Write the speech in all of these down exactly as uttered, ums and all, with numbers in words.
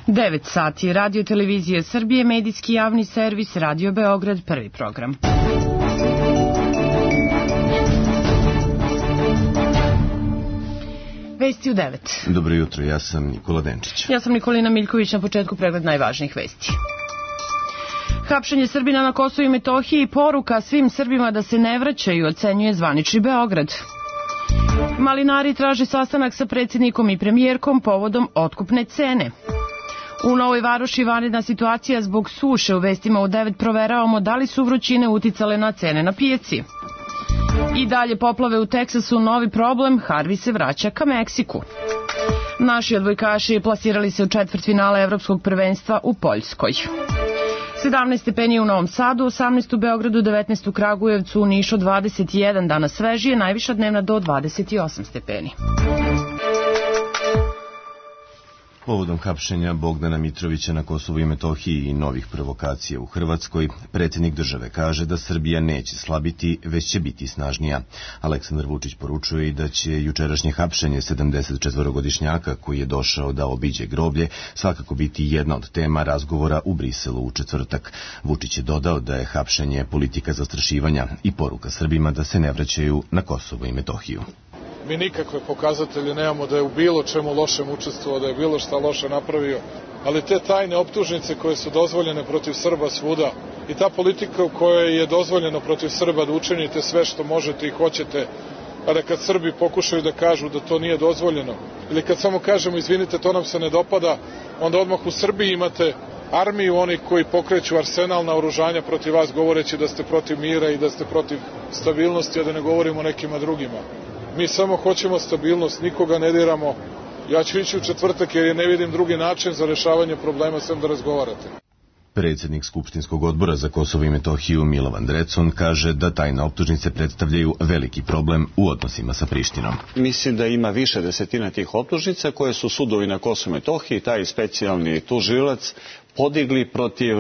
devet sati, Radio Televizije Srbije, medijski javni servis, Radio Beograd, prvi program. Vesti u devet. Dobro jutro, ja sam Nikola Denčić. Ja sam Nikolina Miljković, na početku pregled najvažnijih vesti. Hapšenje Srbina na Kosovu i Metohiji, poruka svim Srbima da se ne vraćaju, ocenjuje zvanični Beograd. Malinari traže sastanak sa predsjednikom i premijerkom povodom otkupne cene. U Novoj Varoši vanredna situacija zbog suše. U vestima u devet proveravamo da li su vrućine uticale na cene na pijaci. I dalje poplave u Teksasu, novi problem, Harvey se vraća ka Meksiku. Naši odbojkaši plasirali se u četvrtfinale Evropskog prvenstva u Poljskoj. sedamnaest stepeni u Novom Sadu, osamnaest u Beogradu, devetnaest u Kragujevcu, u Nišu dvadeset jedan, danas svežije, najviša dnevna do dvadeset osam stepeni. Povodom hapšenja Bogdana Mitrovića na Kosovu i Metohiji i novih provokacija u Hrvatskoj, predsjednik države kaže da Srbija neće slabiti, već će biti snažnija. Aleksandar Vučić poručuje i da će jučerašnje hapšenje sedamdesetčetvorogodišnjaka koji je došao da obiđe groblje svakako biti jedna od tema razgovora u Briselu u četvrtak. Vučić je dodao da je hapšenje politika zastrašivanja i poruka Srbima da se ne vraćaju na Kosovo i Metohiju. Mi nikakve pokazatelje nemamo da je u bilo čemu lošem učestvovao, da je bilo šta loše napravio, ali te tajne optužnice koje su dozvoljene protiv Srba svuda i ta politika u kojoj je dozvoljeno protiv Srba da učinite sve što možete i hoćete, a da kad Srbi pokušaju da kažu da to nije dozvoljeno, ili kad samo kažemo izvinite to nam se ne dopada, onda odmah u Srbiji imate armiju onih koji pokreću arsenal naoružanja protiv vas govoreći da ste protiv mira i da ste protiv stabilnosti, a da ne govorimo o nekima drugima. Mi samo hoćemo stabilnost, nikoga ne diramo. Ja ću ići u četvrtak jer ne vidim drugi način za rešavanje problema sem da razgovarate. Predsjednik Skupštinskog odbora za Kosovo i Metohiju Milovan Drecun kaže da tajne optužnice predstavljaju veliki problem u odnosima sa Prištinom. Mislim da ima više desetina tih optužnica koje su sudovi na Kosovu i Metohiji, taj specijalni tužilac, podigli protiv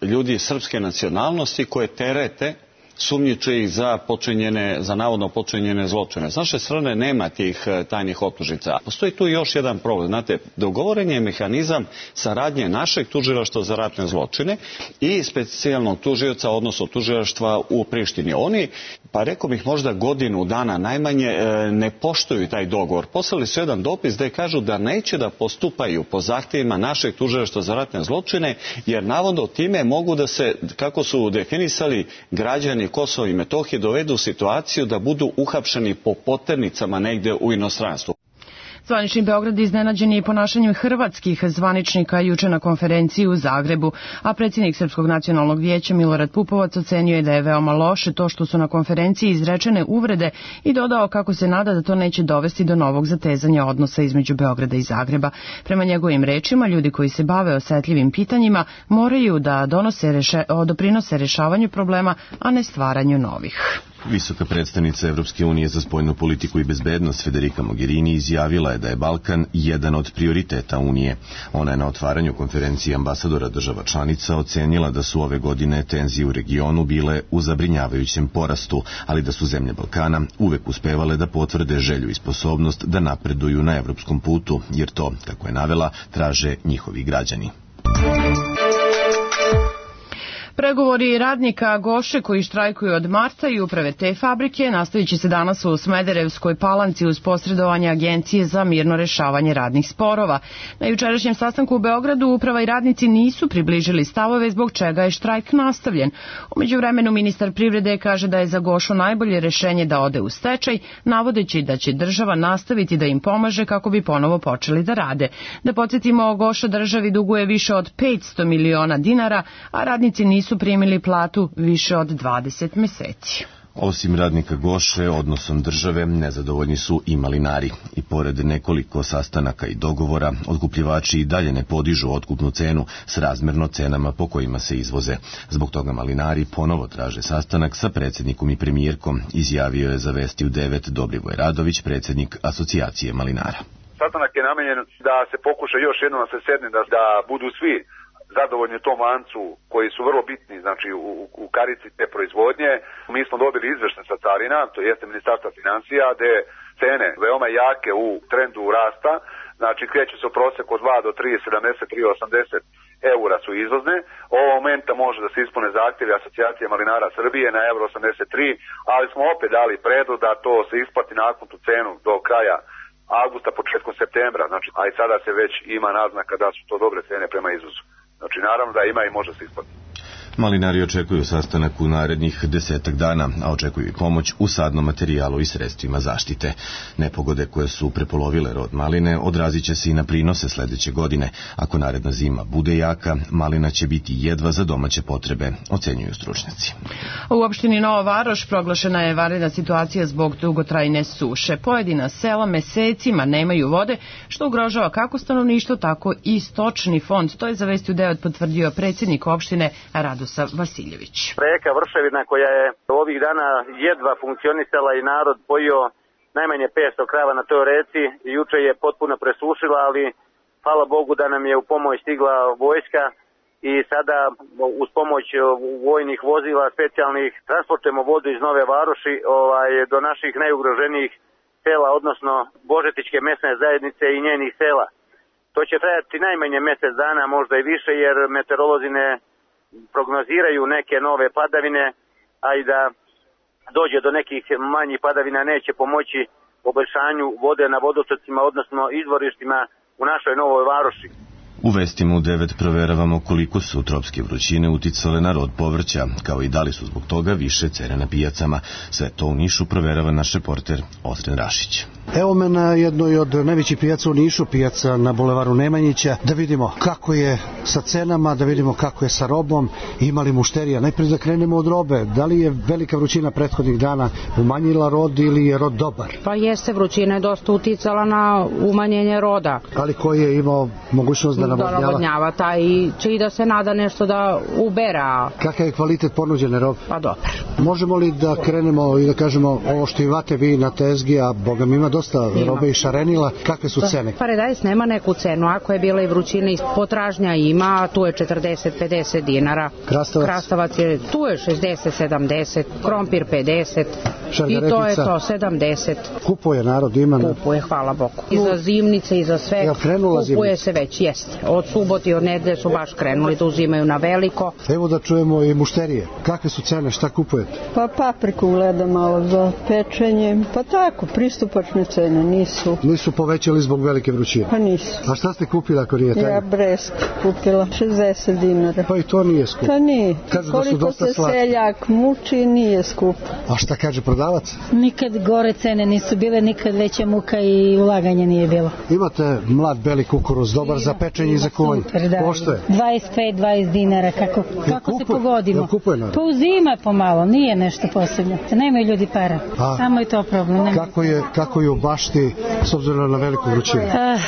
ljudi srpske nacionalnosti koje terete sumnjiče ih za počinjene, za navodno počinjene zločine. S naše strane nema tih tajnih optužnica. Postoji tu još jedan problem. Znate, dogovoren je mehanizam saradnje našeg tužilaštva za ratne zločine i specijalnog tužioca, odnosno tužilaštva u Prištini. Oni, pa rekao bih možda godinu dana najmanje, ne poštuju taj dogovor. Poslali su jedan dopis gde kažu da neće da postupaju po zahtjevima našeg tužilaštva za ratne zločine, jer navodno time mogu da se, kako su definisali, građani Kosova i Metohije dovedu u situaciju da budu uhapšeni po poternicama negde u inostranstvu. Zvanični Beograd iznenađen je ponašanjem hrvatskih zvaničnika juče na konferenciji u Zagrebu, a predsjednik Srpskog nacionalnog vijeća Milorad Pupovac ocenio je da je veoma loše to što su na konferenciji izrečene uvrede i dodao kako se nada da to neće dovesti do novog zatezanja odnosa između Beograda i Zagreba. Prema njegovim rečima, ljudi koji se bave osetljivim pitanjima moraju da donose reše, doprinose rešavanju problema, a ne stvaranju novih. Visoka predstavnica Evropske unije za spoljnu politiku i bezbednost Federica Mogherini izjavila je da je Balkan jedan od prioriteta Unije. Ona je na otvaranju konferencije ambasadora država članica ocenila da su ove godine tenzije u regionu bile u zabrinjavajućem porastu, ali da su zemlje Balkana uvek uspevale da potvrde želju i sposobnost da napreduju na evropskom putu, jer to, kako je navela, traže njihovi građani. Pregovori radnika Goše koji štrajkuju od marta i uprave te fabrike nastavit će se danas u Smederevskoj Palanci uz posredovanje Agencije za mirno rešavanje radnih sporova. Na jučerašnjem sastanku u Beogradu uprava i radnici nisu približili stavove zbog čega je štrajk nastavljen. U međuvremenu ministar privrede kaže da je za Gošu najbolje rešenje da ode u stečaj, navodeći da će država nastaviti da im pomaže kako bi ponovo počeli da rade. Da podsjetimo, Goša državi duguje više od petsto miliona dinara, a radnici nisu su primili platu više od dvadeset meseci. Osim radnika Goše, odnosom države nezadovoljni su i malinari. I pored nekoliko sastanaka i dogovora, otkupljivači i dalje ne podižu otkupnu cenu s razmerno cenama po kojima se izvoze. Zbog toga malinari ponovo traže sastanak sa predsjednikom i premijerkom, izjavio je za Vesti u devet Dobrivoj Radović, predsjednik Asocijacije malinara. Sastanak je namenjen da se pokuša još jednom da se sedne, da, da budu svi zadovoljni u tom lancu koji su vrlo bitni, znači u, u karici te proizvodnje. Mi smo dobili izveštaj sa carina, to jeste Ministarstva financija, gde cene veoma jake u trendu rasta, znači kreću se u proseku od dva do tri sedamdeset tri osamdeset eura su izvozne. Ovog momenta može da se ispune zahtjevi Asocijacije malinara Srbije na euro osamdeset tri, ali smo opet dali predlog da to se isplati nakon tu cenu do kraja avgusta, početkom septembra, znači, a i sada se već ima naznaka da su to dobre cene prema izvozu. Znači, naravno da ima i može se isplati. Malinari očekuju sastanak u narednih desetak dana, a očekuju i pomoć u sadnom materijalu i sredstvima zaštite. Nepogode koje su prepolovile rod maline odrazit će se i na prinose sledeće godine. Ako naredna zima bude jaka, malina će biti jedva za domaće potrebe, ocenjuju stručnjaci. U opštini Nova Varoš proglašena je vanredna situacija zbog dugotrajne suše. Pojedina sela mesecima nemaju vode, što ugrožava kako stanovništvo, tako i stočni fond. To je za Vesti u devet potvrdio predsjednik opštine Radoslav Vasiljević. Reka Vrševina koja je ovih dana jedva funkcionisala i narod pojio najmanje petsto krava na toj reci, juče je potpuno presušila, ali hvala Bogu da nam je u pomoć stigla vojska i sada uz pomoć vojnih vozila specijalnih transportujemo vodu iz Nove Varoši ovaj, do naših najugroženijih sela, odnosno Božetičke mesne zajednice i njenih sela. To će trajati najmanje mjesec dana, možda i više, jer meteorolozi ne prognoziraju neke nove padavine, a i da dođe do nekih manjih padavina neće pomoći poboljšanju vode na vodotocima, odnosno izvorištima u našoj Novoj Varoši. U Vestima u devet proveravamo koliko su tropske vrućine uticale na rod povrća, kao i da li su zbog toga više cene na pijacama. Sve to u Nišu proverava naš reporter Osren Rašić. Evo me na jednoj od najvećih pijaca u Nišu, pijaca na bulevaru Nemanjića, da vidimo kako je sa cenama, da vidimo kako je sa robom, imali mušterija. Najprije da krenemo od robe. Da li je velika vrućina prethodnih dana umanjila rod ili je rod dobar? Pa jeste, vrućina je dosta uticala na umanjenje roda. Ali koji je imao mogućnost da navodnjava? Da navodnjava, taj će i da se nada nešto da ubera. Kakav je kvalitet ponuđene robe? Pa dobar. Možemo li da krenemo i da kažemo ovo što imate vi na tezgi, a Boga mi ima dosta ima. Robe i šarenila, kakve su cene? Paradajz nema neku cenu, ako je bila i vrućina i potražnja ima, tu je četrdeset do pedeset dinara. Krastavac? Krastavac je, tu je šezdeset do sedamdeset, krompir pedeset i to je to, sedamdeset. Kupuje narod, ima? Kupuje, hvala Bogu. I za zimnice i za sve. Jel krenula zimnica? Kupuje se već, jeste. Od subote i od nedelje su baš krenuli da uzimaju na veliko. Evo da čujemo i mušterije. Kakve su cene, šta kupujete? Pa papriku gledam malo za pečenje, pa tako, pristupačne cene nisu. Nisu povećali zbog velike vrućine? Pa nisu. A šta ste kupila ako nije tajna? Ja Brest kupila, šezdeset dinara. Pa i to nije skup. Pa nije. Kažu koliko da su dosta se slatki. Seljak muči, nije skup. A šta kaže prodavac? Nikad gore cene nisu bile, nikad veća muka i ulaganje nije bilo. Imate mlad beli kukuruz, dobar za pečenje i za kuvanje. Super, da. Pošto je? dvadeset pet do dvadeset dinara, kako, kako kupuj, se pogodimo. Jel kupuje narod? Pa uzima pomalo, nije nešto posebno. Nemaju ljudi para, A, samo je to problem. Nema. Kako je, kako je u bašti s obzirom na veliku vrućinu? Uh,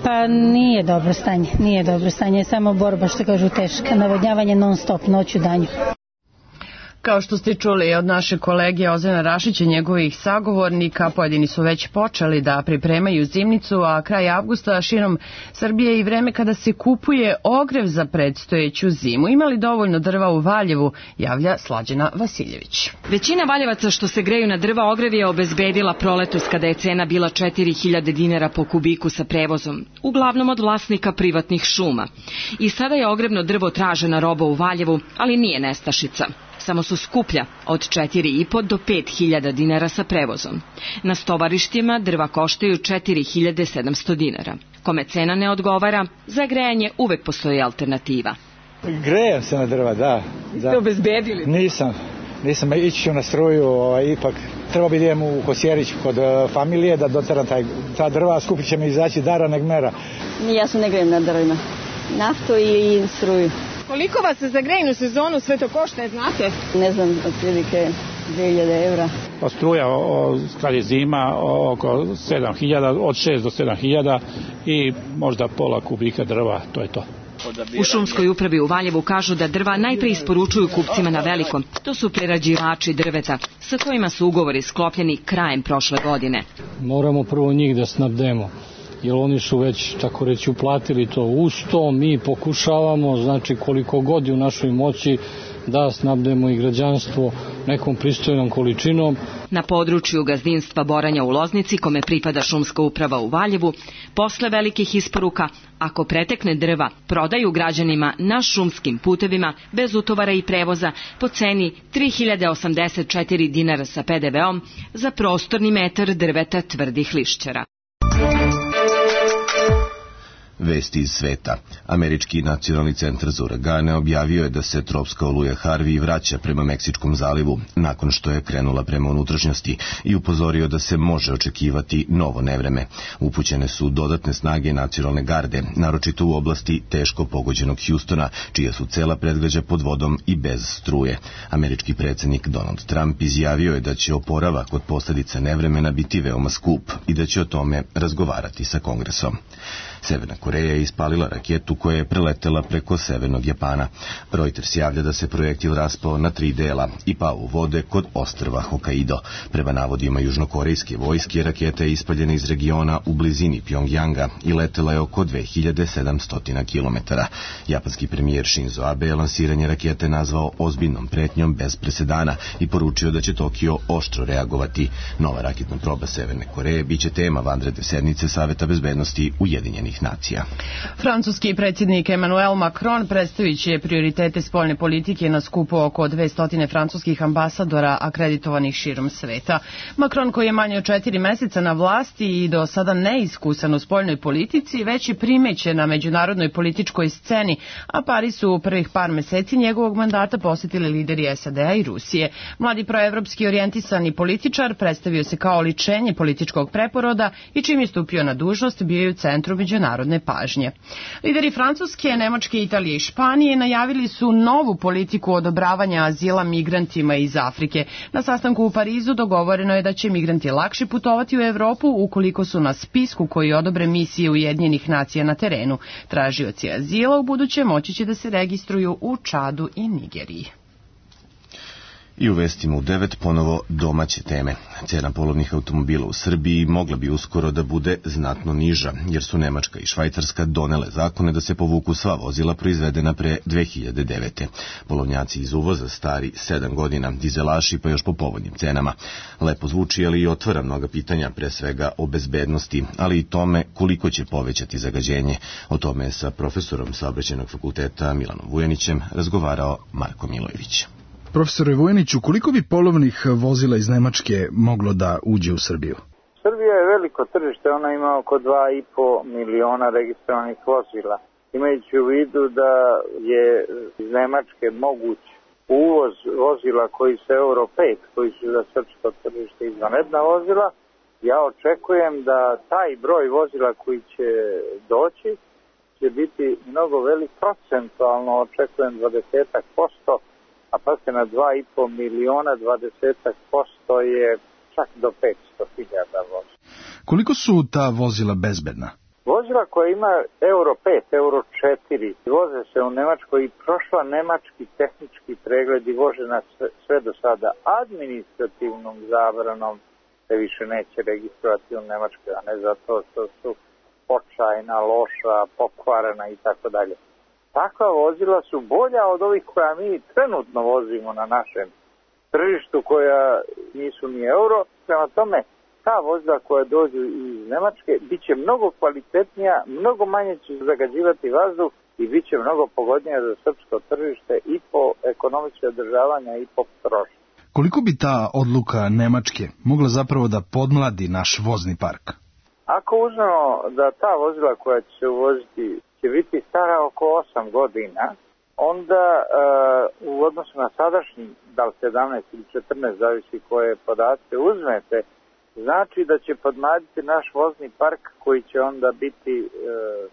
pa nije dobro stanje, nije dobro stanje, samo borba, što kažu, teška. Navodnjavanje non stop, noću danju. Kao što ste čuli od naše kolege Ozrena Rašića i njegovih sagovornika, pojedini su već počeli da pripremaju zimnicu, a kraj avgusta širom Srbije i vreme kada se kupuje ogrev za predstojeću zimu. Imali dovoljno drva u Valjevu, javlja Slađana Vasiljević. Većina valjevaca što se greju na drva ogrev je obezbedila proletos kada je cena bila četiri hiljade dinara po kubiku sa prevozom, uglavnom od vlasnika privatnih šuma. I sada je ogrevno drvo tražena roba u Valjevu, ali nije nestašica. Samo su skuplja, od četiri i po do pet hiljada dinara sa prevozom. Na stovarištima drva koštaju četiri hiljade sedamsto dinara. Kome cena ne odgovara, za grejanje uvek postoji alternativa. Grejem se na drva, da. da. Ste obezbedili? Nisam. Nisam, ići ću na struju, ovaj, ipak treba bi idem u Kosjerić kod uh, familije da doteram taj, ta drva, skupit će mi izaći dara neg mera. Ja se ne grejem na drvima. Naftu i, i struju. Koliko vas za grejnu sezonu sve to košta, znate? Ne znam, otprilike dvije hiljade evra. Pa struja, o, kad je zima, oko sedam hiljada, od šest do sedam hiljada i možda pola kubika drva, to je to. U šumskoj upravi u Valjevu kažu da drva najpre isporučuju kupcima na veliko. To su prerađivači drveta, sa kojima su ugovori sklopljeni krajem prošle godine. Moramo prvo njih da snabdemo, jer oni su već, tako reći, uplatili to. Uz to mi pokušavamo, znači koliko god je u našoj moći, da snabdemo i građanstvo nekom pristojnom količinom. Na području gazdinstva Boranja u Loznici, kome pripada šumska uprava u Valjevu, posle velikih isporuka, ako pretekne drva, prodaju građanima na šumskim putevima bez utovara i prevoza po ceni tri hiljade osamdeset četiri dinara sa pe de veom za prostorni metar drveta tvrdih lišćara. Vesti iz sveta. Američki nacionalni centar za uragane objavio je da se tropska oluja Harvey vraća prema Meksičkom zalivu nakon što je krenula prema unutrašnjosti i upozorio da se može očekivati novo nevreme. Upućene su dodatne snage nacionalne garde, naročito u oblasti teško pogođenog Hjustona, čija su cela predgrađa pod vodom i bez struje. Američki predsjednik Donald Trump izjavio je da će oporavak od posljedica nevremena biti veoma skup i da će o tome razgovarati sa Kongresom. Severna Koreja je ispalila raketu koja je preletela preko severnog Japana. Reuters javlja da se projektil raspao na tri dela i pao u vode kod ostrva Hokkaido. Prema navodima južnokorejske vojske, raketa je ispaljena iz regiona u blizini Pjongjanga i letela je oko dve hiljade sedamsto kilometara. Japanski premijer Shinzo Abe je lansiranje rakete nazvao ozbiljnom pretnjom bez presedana i poručio da će Tokio oštro reagovati. Nova raketna proba Severne Koreje biće tema vanredne sednice Saveta bezbednosti Ujedinjenih nacija. Francuski predsjednik Emmanuel Macron predstavit će prioritete spoljne politike na skupu oko dvesta francuskih ambasadora akreditovanih širom sveta. Macron, koji je manje od četiri meseca na vlasti i do sada neiskusan u spoljnoj politici, već je primećen na međunarodnoj političkoj sceni, a Pariz su u prvih par meseci njegovog mandata posjetili lideri es a de a i Rusije. Mladi proevropski orijentisani političar predstavio se kao oličenje političkog preporoda i čim je stupio na dužnost bio je u centru međunarodne pažnje. Lideri Francuske, Nemačke, Italije i Španije najavili su novu politiku odobravanja azila migrantima iz Afrike. Na sastanku u Parizu dogovoreno je da će migranti lakše putovati u Evropu ukoliko su na spisku koji odobre misije Ujedinjenih nacija na terenu. Tražioci azila u buduće moći će da se registruju u Čadu i Nigeriji. I u vestima u devet ponovo domaće teme. Cena polovnih automobila u Srbiji mogla bi uskoro da bude znatno niža, jer su Nemačka i Švajcarska donele zakone da se povuku sva vozila proizvedena pre dve hiljade devete. Polovnjaci iz uvoza stari sedam godina, dizelaši pa još po povoljnim cenama. Lepo zvuči, ali i otvara mnoga pitanja, pre svega o bezbednosti, ali i tome koliko će povećati zagađenje. O tome je sa profesorom Saobraćajnog fakulteta Milanom Vujanićem razgovarao Marko Milojević. Profesore Vujaniću, koliko bi polovnih vozila iz Nemačke moglo da uđe u Srbiju? Srbija je veliko tržište, ona ima oko dva i po miliona registrovanih vozila. Imajući u vidu da je iz Nemačke moguć uvoz vozila koji su Euro pet, koji su za srpsko tržište izvanredna vozila, ja očekujem da taj broj vozila koji će doći će biti mnogo velik, procentualno očekujem dvadeset posto, a pa se na dva i po miliona dvadeset posto je čak do petsto hiljada vozila. Koliko su ta vozila bezbedna? Vozila koja ima Euro pet, Euro četiri, voze se u Nemačkoj i prošla nemački tehnički pregled i vožena sve, sve do sada administrativnom zabranom se više neće registrovati u Nemačkoj, a ne zato što su očajna, loša, pokvarena i tako dalje. Takva vozila su bolja od ovih koja mi trenutno vozimo na našem tržištu, koja nisu ni euro. Prema tome, ta vozila koja dođu iz Nemačke bit će mnogo kvalitetnija, mnogo manje će zagađivati vazduh i bit će mnogo pogodnija za srpsko tržište i po ekonomičke održavanja i po potrošnje. Koliko bi ta odluka Nemačke mogla zapravo da podmladi naš vozni park? Ako uzmemo da ta vozila koja će se uvoziti će biti stara oko osam godina, onda uh, u odnosu na sadašnji, da li sedamnaest ili četrnaest, zavisi koje podatke uzmete, znači da će podmladiti naš vozni park koji će onda biti uh,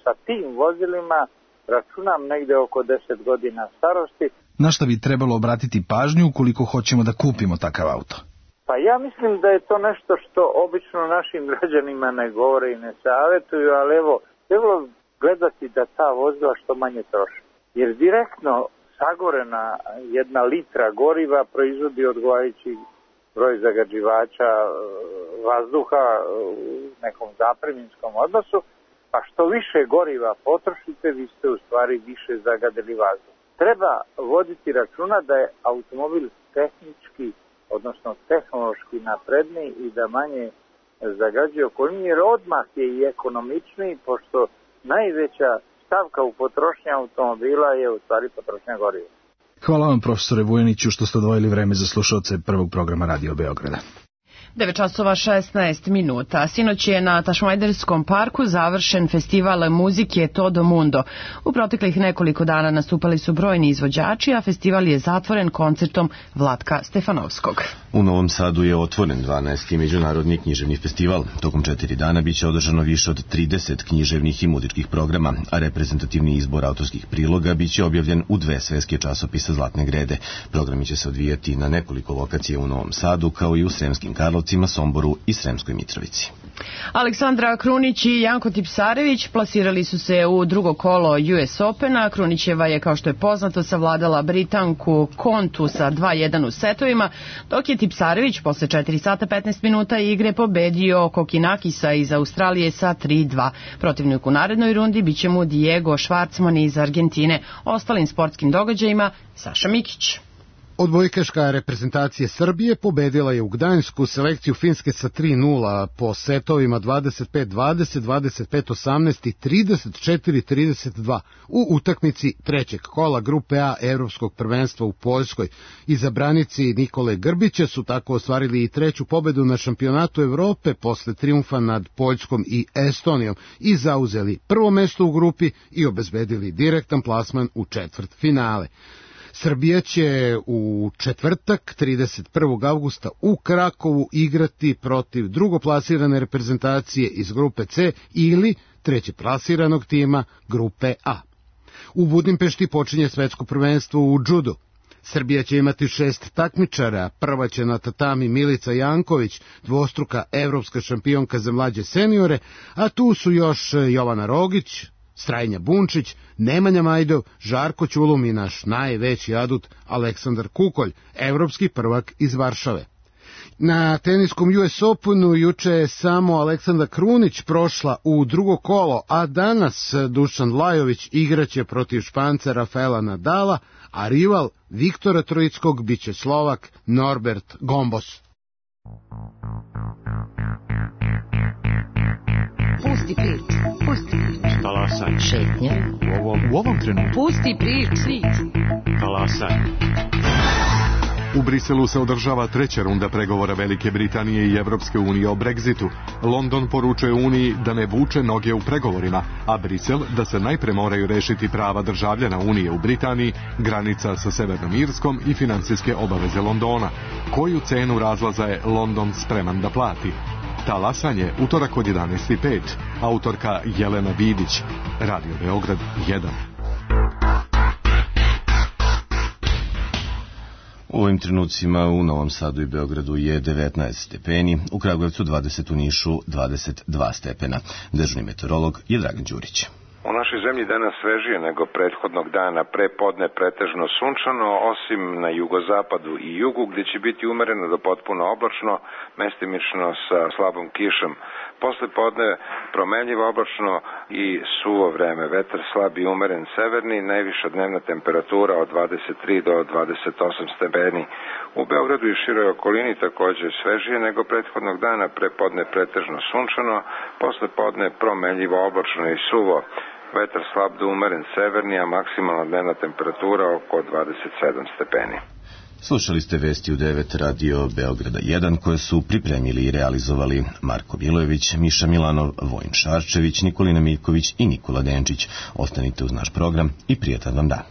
sa tim vozilima, računam negde oko deset godina starosti. Na šta bi trebalo obratiti pažnju ukoliko hoćemo da kupimo takav auto? Pa ja mislim da je to nešto što obično našim građanima ne govore i ne savjetuju, ali evo, trebalo gledati da ta vozila što manje troše. Jer direktno sagorena jedna litra goriva proizvodi odgovarajući broj zagađivača vazduha u nekom zapreminskom odnosu, pa što više goriva potrošite, vi ste u stvari više zagadili vazduh. treba voditi računa da je automobil tehnički, odnosno tehnološki napredniji i da manje zagađuje okolinu, jer odmah je i ekonomičniji, pošto najveća stavka u potrošnji automobila je u stvari potrošnja goriva. Hvala vam, profesore Vujaniću, što ste odvojili vreme za slušaoce prvog programa Radio Beograda. devet časova šesnaest minuta. Sinoć je na Tašmajderskom parku završen festival muzike Todo Mundo. U proteklih nekoliko dana nastupali su brojni izvođači, a festival je zatvoren koncertom Vlatka Stefanovskog. U Novom Sadu je otvoren dvanaesti međunarodni književni festival. Tokom četiri dana biće održano više od trideset književnih i muzičkih programa, a reprezentativni izbor autorskih priloga biće objavljen u dve svetske časopisa Zlatne grede. Programi će se odvijati na nekoliko lokacija u Novom Sadu, kao i u Sremskim Karlovcima, Somboru i Sremskoj Mitrovici. Aleksandra Krunić i Janko Tipsarević plasirali su se u drugo kolo U S Opena. Krunićeva je, kao što je poznato, savladala Britanku Kontu sa dva jedan u setovima, dok je Tipsarević posle četiri sata petnaest minuta igre pobedio Kokinakisa iz Australije sa tri dva. Protivnik u narednoj rundi biće mu Diego Schwartzman iz Argentine. Ostalim sportskim događajima Saša Mikić. Odbojkaška reprezentacija Srbije pobedila je u Gdańsku selekciju Finske sa tri nula po setovima dvadeset pet dvadeset, dvadeset pet osamnaest i trideset četiri trideset dva u utakmici trećeg kola grupe A Evropskog prvenstva u Poljskoj. Izabranici Nikole Grbića su tako ostvarili i treću pobedu na šampionatu Evrope posle trijumfa nad Poljskom i Estonijom i zauzeli prvo mesto u grupi i obezbedili direktan plasman u četvrt finale. Srbija će u četvrtak trideset prvog avgusta u Krakovu igrati protiv drugoplasirane reprezentacije iz grupe C ili trećeplasiranog tima grupe A. U Budimpešti počinje svetsko prvenstvo u džudu. Srbija će imati šest takmičara, prva će na tatami Milica Janković, dvostruka evropska šampionka za mlađe seniore, a tu su još Jovana Rogić, Strajnja Bunčić, Nemanja Majdov, Žarko Ćulum i naš najveći adut Aleksandar Kukolj, evropski prvak iz Varšave. Na teniskom U S Openu juče je samo Aleksandra Krunić prošla u drugo kolo, a danas Dušan Lajović igraće protiv Španca Rafaela Nadala, a rival Viktora Trojickog biće Slovak Norbert Gombos. Pusti priču, pusti priču. Talasaj. Šetnja. U ovom, u ovom trenutku. Pusti priču. Talasaj. U Briselu se održava treća runda pregovora Velike Britanije i Evropske unije o Brexitu. London poručuje Uniji da ne vuče noge u pregovorima, a Brisel da se najpre moraju rešiti prava državljana Unije u Britaniji, granica sa Severnom Irskom i finansijske obaveze Londona. Koju cenu razlaza je London spreman da plati? Talasanje, utorak od jedanaest i pet. Autorka Jelena Vidić. Radio Beograd jedan. U ovim trenucima u Novom Sadu i Beogradu je devetnaest stepeni, u Kragujevcu dvadeset, u Nišu dvadeset dva stepena. Dežurni meteorolog je Dragan Đurić. U našoj zemlji danas svežije nego prethodnog dana, pre podne pretežno sunčano, osim na jugozapadu i jugu, gdje će biti umereno do potpuno oblačno, mestimično sa slabom kišom. Posle podne promenljivo oblačno i suvo vreme, vetar slab i umeren severni, najviša dnevna temperatura od dvadeset tri do dvadeset osam stepeni. U Beogradu i široj okolini također svežije nego prethodnog dana, pre podne pretežno sunčano, posle podne promenljivo oblačno i suvo. Vetar slab do umeren severni, a maksimalna dnevna temperatura oko dvadeset sedam stepeni. Slušali ste vesti u devet Radio Beograda jedan, koje su pripremili i realizovali Marko Milojević, Miša Milanov, Vojin Šarčević, Nikolina Miljković i Nikola Denčić. Ostanite uz naš program i prijatan vam dan.